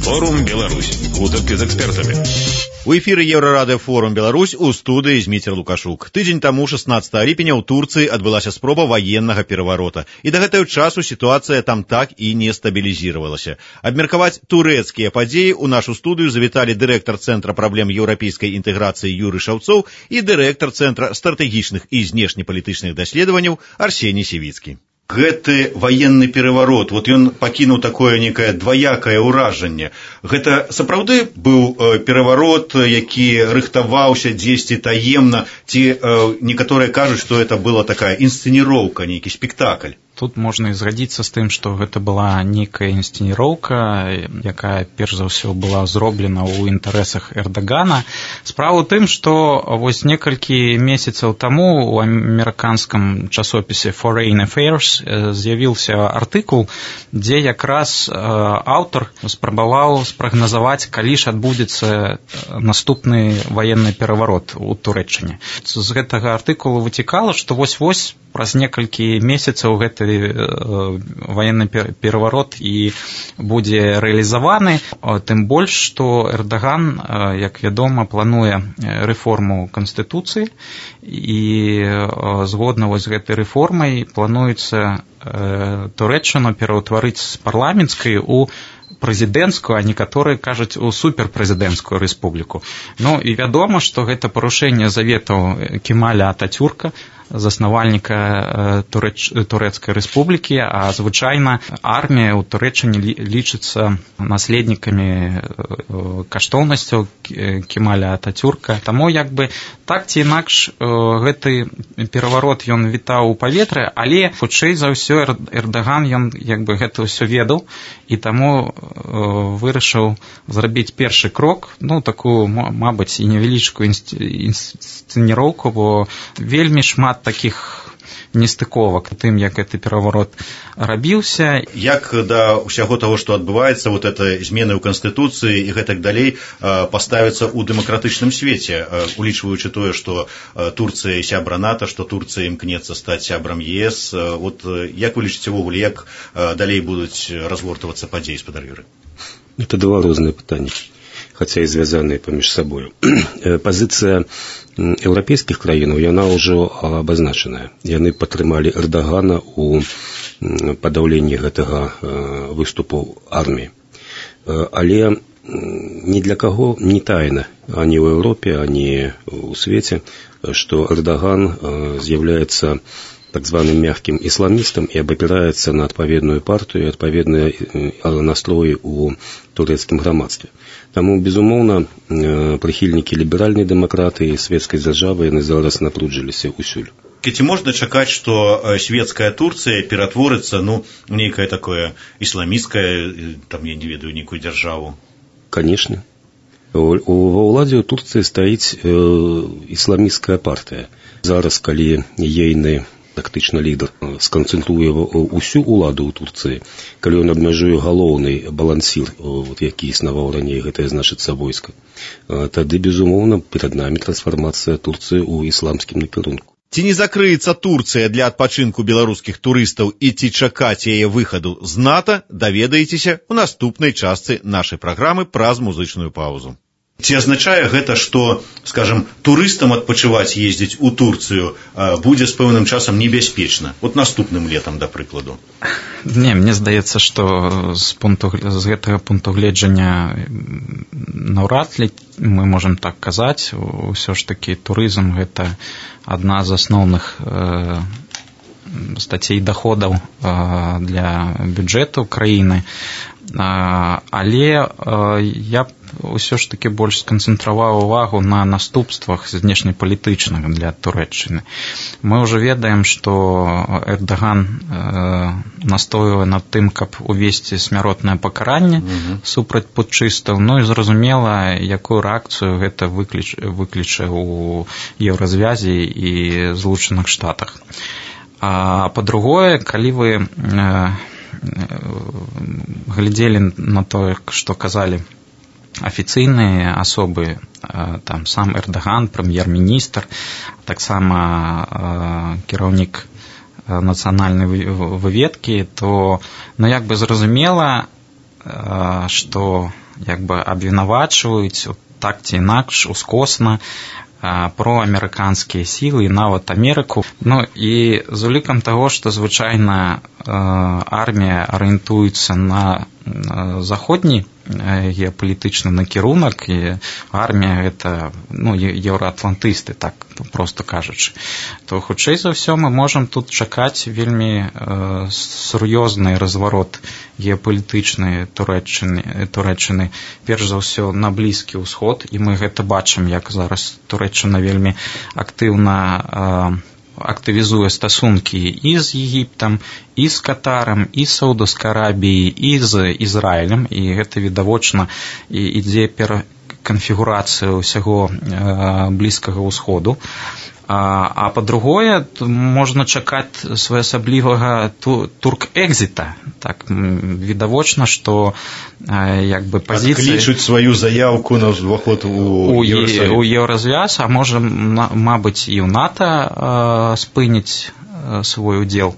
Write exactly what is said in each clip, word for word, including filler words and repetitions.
Форум Беларусь. Гутарки з экспертамі. У эфіры Еўрарадыё Форум Беларусь, у студыі Зміцер Лукашук. Тыдзень таму, шаснаццатага ліпеня, ў Турцыі адбылася спроба ваеннага пераварота. І да гэтага часу сітуацыя там так і не стабілізіравалася. Абмеркаваць турэцкія падзеі ў нашу студыю завіталі дырэктар Цэнтра праблем еўрапейскай інтэграцыі Юрый Шаўцоў і дырэктар Цэнтра стратэгічных і знешнепалітычных даследаванняў Арсеній Сівіцкі. Гэты ваенны пераварот, вот ён пакінуў такое некае дваякае ўражанне. Гэта сапраўды быў э, пераварот, які рыхтаваўся дзесьці таемна, ці э, некаторыя кажуць, што гэта была такая інсцэніроўка, нейкі спектакль. Тут можна і згадзіцца з тым, што гэта была нейкая інсцэніроўка, якая перш за ўсё была зроблена ў інтарэсах Эрдагана. Справа ў тым, што вось некалькі месяцаў таму у амерыканскім часопісе Foreign Affairs з'явіўся артыкул, дзе якраз аўтар спрабаваў спрагназаваць, калі ж адбудзецца наступны ваенны пераварот у Турэччыне. З гэтага артыкулу выцікала, што вось-вось праз некалькі месяцаў гэты ваенны пераварот і будзе рэалізаваны, тым больш, што Эрдаган, як вядома, плануе рэформу Канстытуцыі, і згодна вось з гэтай рэформай плануецца Турэччыну пераўтварыць з парламенцкай у прэзідэнцкую, а некаторыя кажуць у суперпрэзідэнцкую рэспубліку. Ну і вядома, што гэта парушэнне заветаў Кемаля Ататюрка, заснавальніка Турэч... Турэцкай рэспублікі, а звычайна армія ў Турэччыне лічыцца наследнікамі каштоўнасцяў Кемаля Ататюрка. Таму як бы так ці інакш гэты пераварот ён вітаў у паветры, але хутчэй за ўсё Эрдаган ён як бы гэта ўсё ведаў і таму вырашыў зрабіць першы крок, ну такую, мабыць, і невялічкую інсцэніроўку, бо вельмі шмат такіх нестыковак тым, як гэты пераварот рабіўся. Як да ўсяго таго, што адбываецца, вот это змены ў Канстытуцыі і гэтак далей паставіцца ў дэмакратычным свеце, улічваючы тое, што Турцыя сябра НАТО, што Турцыя імкнецца стаць сябрам ЕС. Вот як вы лічыце ўвогуле, як далей будуць разгортвацца падзеі, спадар Юрый? Это два розныя пытанні, хаця і звязаныя паміж сабою. Пазіцыя еўрапейскіх краінаў, яна ўжо абазначаная. Яны падтрымалі Эрдагана ў падаўленні гэтага выступу арміі. Але ні для каго не тайна, ані ў Еўропе, ані ў свеце, што Эрдаган з'яўляецца так званым мягким исламистом и обопирается на адпаведную партию и адпаведные настрои у турецкім грамадстве. Таму, безумоўна, прыхільнікі ліберальнай дэмакратыі, светскай дзяржавы, яны зараз напружыліся ўсюль. Ці можна чакаць, што светская Турцыя ператворыцца, ну, нейкае такое ісламісцкае, там, я не ведаю, нейкую дзяржаву? Конечно. Ва ўладзе ў Турцыі стаіць ісламісцкая партыя. Зараз, калі ейны тактычна лідар сканцэнтруе ўсю ўладу ў Турцыі, калі ён абмяжуе галоўны балансір, вот, які існаваў раней, гэта значыцца войска, тады, безумоўна, перад намі трансфармацыя Турцыі ў ісламскім накірунку. Ці не закрыецца Турцыя для адпачынку беларускіх турыстаў і ці чакаць яе выхаду з НАТО, даведаецеся ў наступнай частцы нашай праграмы праз музычную паузу. Ці азначае гэта, што, скажем, турыстам адпачываць ездзіць у Турцыю будзе з пэўным часам небяспечна? Вот наступным летам, да прыкладу. Не, мне здаецца, што з, пункту, з гэтага пункту гледжання наўрад ли мы можам так казаць. Усё ж такі турызм гэта адна з асноўных э, стацей даходаў э, для бюджэту краіны. Але я б ўсё ж таки больш сканцэнтраваў увагу на наступствах знешнепалітычных для Турэччыны. Мы ўжо ведаем, што Эрдаган настойвае над тым, каб увесці смяротнае пакаранне mm-hmm. супраць путчыстаў, ну і зразумела, якую рэакцыю гэта выкліч, выкліча ў Еўразвязе і Злучаных Штатах. А па-другое, калі вы глядзелі на тое, што казалі афіцыйныя асобы, там сам Эрдаган, прэм'ер-міністр, таксама кіраўнік нацыянальнай выведкі, то ну як бы зразумела, што як бы абвінавачваюць так ці інакш ускосна про амерыканскія сілы і нават Амерыку. Ну і з улікам таго, што звычайна армія арыентуецца на заходні геапалітычны накірунак, і армія гэта, ну, еўраатлантысты, так проста кажучы, то хутчэй за ўсё мы можам тут чакаць вельмі э, сур'ёзны разварот геапалітычнай Турэччыны, Турэччыны, перш за ўсё на Блізкі ўсход, і мы гэта бачым, як зараз Турэччына вельмі актыўна э, актывізуе стасункі і з Егіптам, і з Катарам, і з Саудаўскай Арабіяй, і з Ізраілем, і гэта відавочна ідзе пераканфігурацыя ўсяго Блізкага ўсходу. А, а па-другое, можна чакаць своеасаблівага турк-экзіта. Так, відавочна, што як бы пазіцыі... Адклічуць сваю заявку на ўваход у Еўрасаюз. У Еўразвяз, а можа, мабыць, і ў НАТО спыніць свой удзел.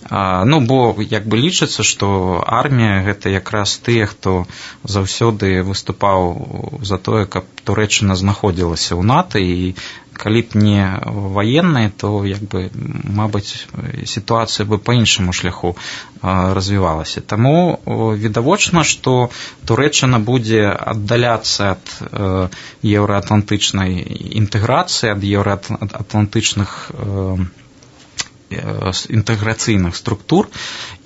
Ну, бо як бы лічыцца, што армія гэта якраз тыя, хто заўсёды выступаў за тое, каб Турэччына знаходзілася ў НАТО, і калі б не ваенныя, то як бы, мабыць, сітуацыя бы па іншаму шляху развівалася. Таму відавочна, што Турэччына будзе аддаляцца ад еўраатлантычнай інтэграцыі, ад еўраатлантычных інтэграцыйных структур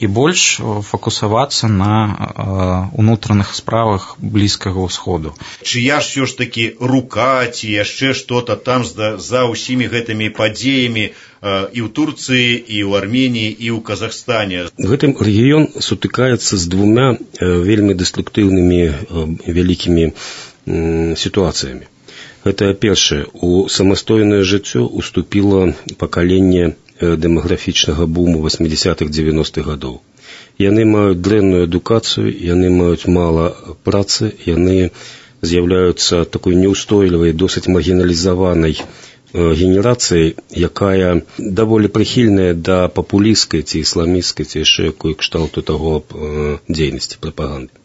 і больш фокусавацца на унутраных справах Блізкага ўсходу. Чыя ж ўсё ж такі рука ці яшчэ што-то там за, за ўсімі гэтымі падзеямі і ў Турцыі, і ў Арменіі, і ў Казахстане? Гэтым рэгіён сутыкаецца з двумя вельмі дэструктыўнымі вялікімі сітуацыямі. Гэта першае, у самастойнае жыццё уступіла пакаленне дэмаграфічнага буму восьмідзесятых дзевяностых гадоў. Яны маюць дрэнную адукацыю, яны маюць мала працы, яны з'яўляюцца такой неўстойлівай, досыць маргіналізаванай генерацыяй, якая даволі прыхільная да папулісцкай ці ісламісцкай ці яшчэ якой кшталту таго дзейнасці, прапаганды.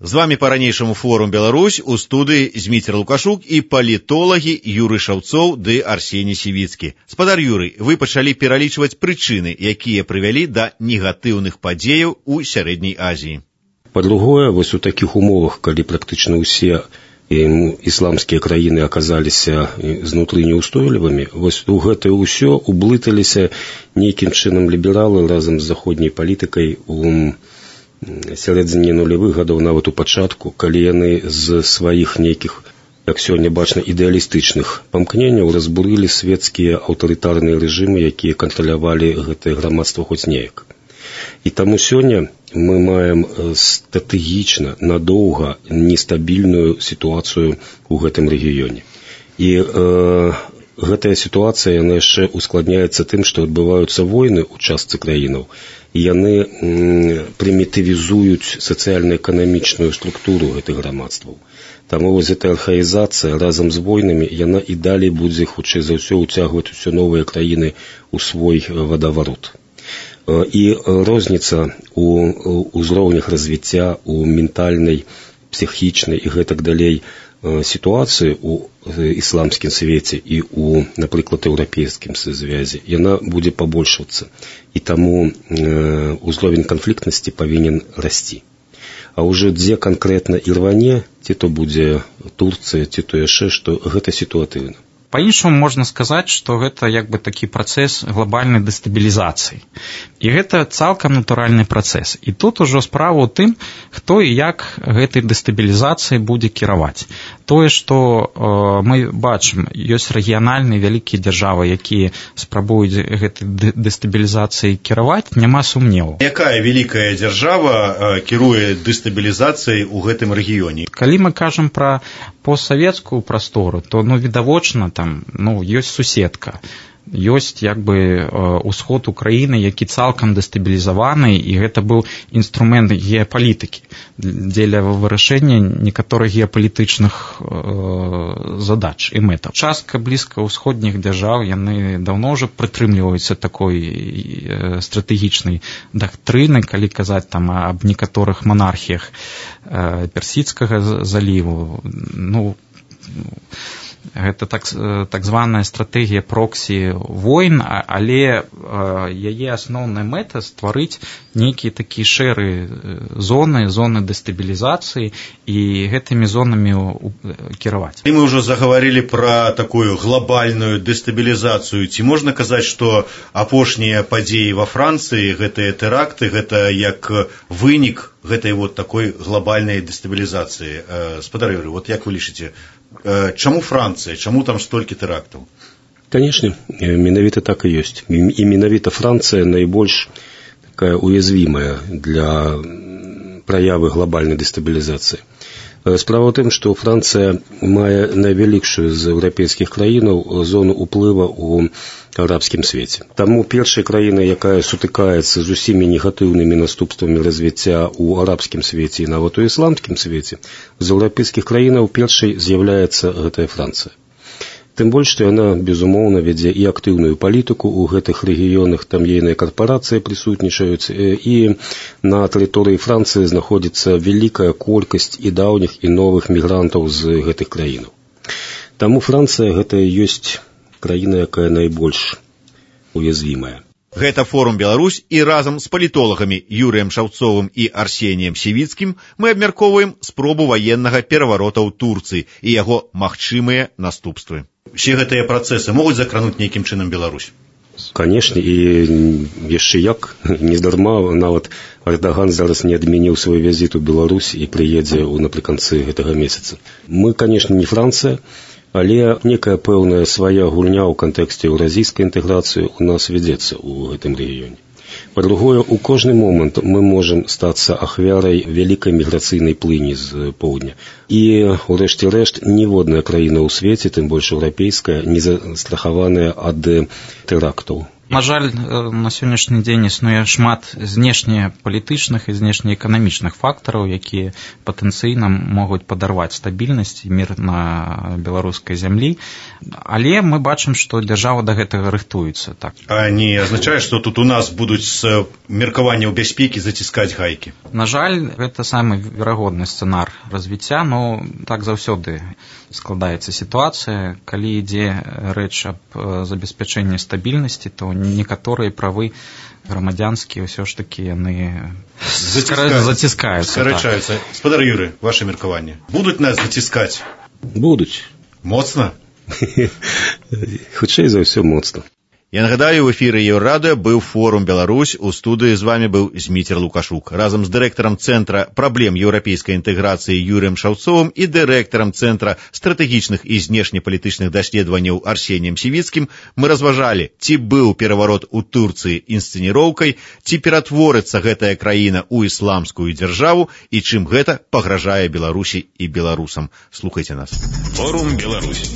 З вами па-ранейшаму форум Беларусь, у студыі Зміцер Лукашук і палітолагі Юрый Шаўцоў ды Арсеній Сівіцкі. Спадар Юрый, вы пачалі пералічваць прычыны, якія прывялі да негатыўных падзеяў у Сярэдняй Азіі. Па-другое, вось у такіх умовах, калі практычна ўсе ісламскія краіны аказаліся знутры неўстойлівымі, вось у гэтае ўсё ублыталіся нейкім чынам лібералы разам з заходняй палітыкай у сярэдзіне нулявых гадоў, нават у пачатку, калі яны з сваіх нейкіх, як сёння бачна, ідэалістычных памкненняў разбурылі свецкія аўтарытарныя рэжымы, якія кантралявалі гэтае грамадства хоць неяк. І таму сёння мы маем стратэгічна, надоўга нестабільную сітуацыю ў гэтым рэгіёне. І э, гэтая сітуацыя, яна яшчэ ускладняецца тым, што адбываюцца войны ў частцы краінаў, і яны прымітывізуюць сацыяльна-эканамічную структуру гэтых грамадстваў. Таму вось гэтая архаізацыя разам з войнамі, яна і далей будзе, хутчэй за ўсё, уцягваць усе новыя краіны ў свой вадаварот. І розніца у ўзроўнях развіцця, у ментальнай, псіхічнай і гэтак далей сітуацыі ў ісламскім свеце і у, напрыклад, еўрапейскім звязі, яна будзе пабольшвацца. І таму ўзровень канфліктнасці павінен расці. А ўжо дзе канкрэтна ірване, ці то будзе Турцыя, ці то яшчэ, што гэта сітуатыўна. Па-іншаму можна сказаць, што гэта як бы такі працэс глобальнай дэстабілізацыі. І гэта цалкам натуральны працэс. І тут ужо справа ў тым, хто і як гэтай дэстабілізацыяй будзе кіраваць. Тое, што э, мы бачым, ёсць рэгіянальныя вялікія дзяржавы, якія спрабуюць гэтай дэстабілізацыяй кіраваць, няма сумневу. Якая вялікая дзяржава э, кіруе дэстабілізацыяй у гэтым рэгіёне? Калі мы кажам пра постсавецкую прастору, то, ну, відавочна, там, ну, ёсць суседка. ёсць як бы ўсход Украіны, які цалкам дэстабілізаваны, і гэта быў інструмент геапалітыкі дзеля вырашэння некаторых геапалітычных задач і мэтаў. Частка блізкаўсходніх дзяржаў, яны даўно ўжо прытрымліваюцца такой стратэгічнай дактрыны, калі казаць там аб некаторых монархіях Персідскага заліву. Ну, гэта так, так званая стратэгія проксі войн, але яе асноўная мэта стварыць нейкія такія шэры зоны, зоны дэстабілізацыі і гэтымі зонамі кіраваць. І мы ўжо загаварылі пра такую глобальную дэстабілізацыю. Ці можна казаць, што апошнія падзеі ва Францыі, гэтыя тэракты, гэта як вынік гэтай вот такой глобальнай дэстабілізацыі? Спадар Юрый, вот як вы лічыце, чаму Францыя, чаму там столькі тэрактаў? Конечно, менавіта так і ёсць. І менавіта Францыя найбольш такая уязвімая для праявы глобальнай дэстабілізацыі. Справа ў тым, што Францыя мае найвялікшую з еўрапейскіх краінаў зону ўплыва ў арабскім свеце. Таму першая краіна, якая сутыкаецца з усімі негатыўнымі наступствамі развіцця ў арабскім свеце і нават у ісламскім свеце, з еўрапейскіх краінаў першай з'яўляецца гэтая Францыя. Тым больш, што яна, безумоўна, вядзе і актыўную палітыку ў гэтых рэгіёнах, там ейныя карпорацыі прысутнічаюць, і на тэрыторыі Францыі знаходзіцца вялікая колькасць і даўніх, і новых мігрантаў з гэтых краінаў. Таму Францыя гэта ёсць краіна, якая найбольш уязвімая. Гэта форум «Беларусь», і разам з палітолагамі Юрыем Шаўцовым і Арсеніем Сівіцкім мы абмяркоўваем спробу ваеннага пераварота ў Турцыі і яго магчымыя наступствы. Усе гэтыя працэсы могуць закрануць нейкім чынам Беларусь? Канешне, і яшчэ як, нездарма нават Эрдаган зараз не адмяніў свой візіт у Беларусь і прыедзе напрыканцы гэтага месяца. Мы, канешне, не Францыя, але некая пэўная свая гульня ў кантэксце еўразійскай інтэграцыі ў нас вядзецца ў гэтым рэгіёне. Па-другое, у кожны момант мы можам стацца ахвярай вялікай міграцыйнай плыні з поўдня. І, урэшце рэшт, ніводная краіна ў свеце, тым больш еўрапейская, не застрахаваная ад тэрактаў. На жаль, на сённяшні дзень існуе шмат знешнепалітычных і знешнеэканамічных фактараў, якія патэнцыйна могуць падарваць стабільнасць і мір на беларускай зямлі. Але мы бачым, што дзяржава да гэтага рыхтуецца. Так. А не азначае, што тут у нас будуць з меркаванняў бяспекі заціскаць гайкі? На жаль, гэта самы верагодны сцэнар развіцця, но так заўсёды складаецца сітуацыя. Калі ідзе рэч аб забеспячэнні стабільнасці, то некаторыя правы грамадзянскія ўсё ж такі яны заціскаюцца. Скарачаюцца. Так. Спадар Юрый, ваше меркаванне. Будуць нас заціскаць? Будуць. Моцна? Хутчэй за ўсё моцна. Я нагадаю, в эфіры Еўрарадыё быў форум «Беларусь», у студыі з вами быў Зміцер Лукашук. Разам з дырэктарам Цэнтра праблем еўрапейскай інтэграцыі Юрыем Шаўцовым і дырэктарам Цэнтра стратэгічных і знешнепалітычных даследаванняў Арсеніем Сівіцкім мы разважалі, ці быў пераварот у Турцыі інсцэніроўкай, ці ператворыцца гэтая краіна ў ісламскую дзяржаву і чым гэта пагражае Беларусі і беларусам. Слухайце нас. Форум «Беларусь».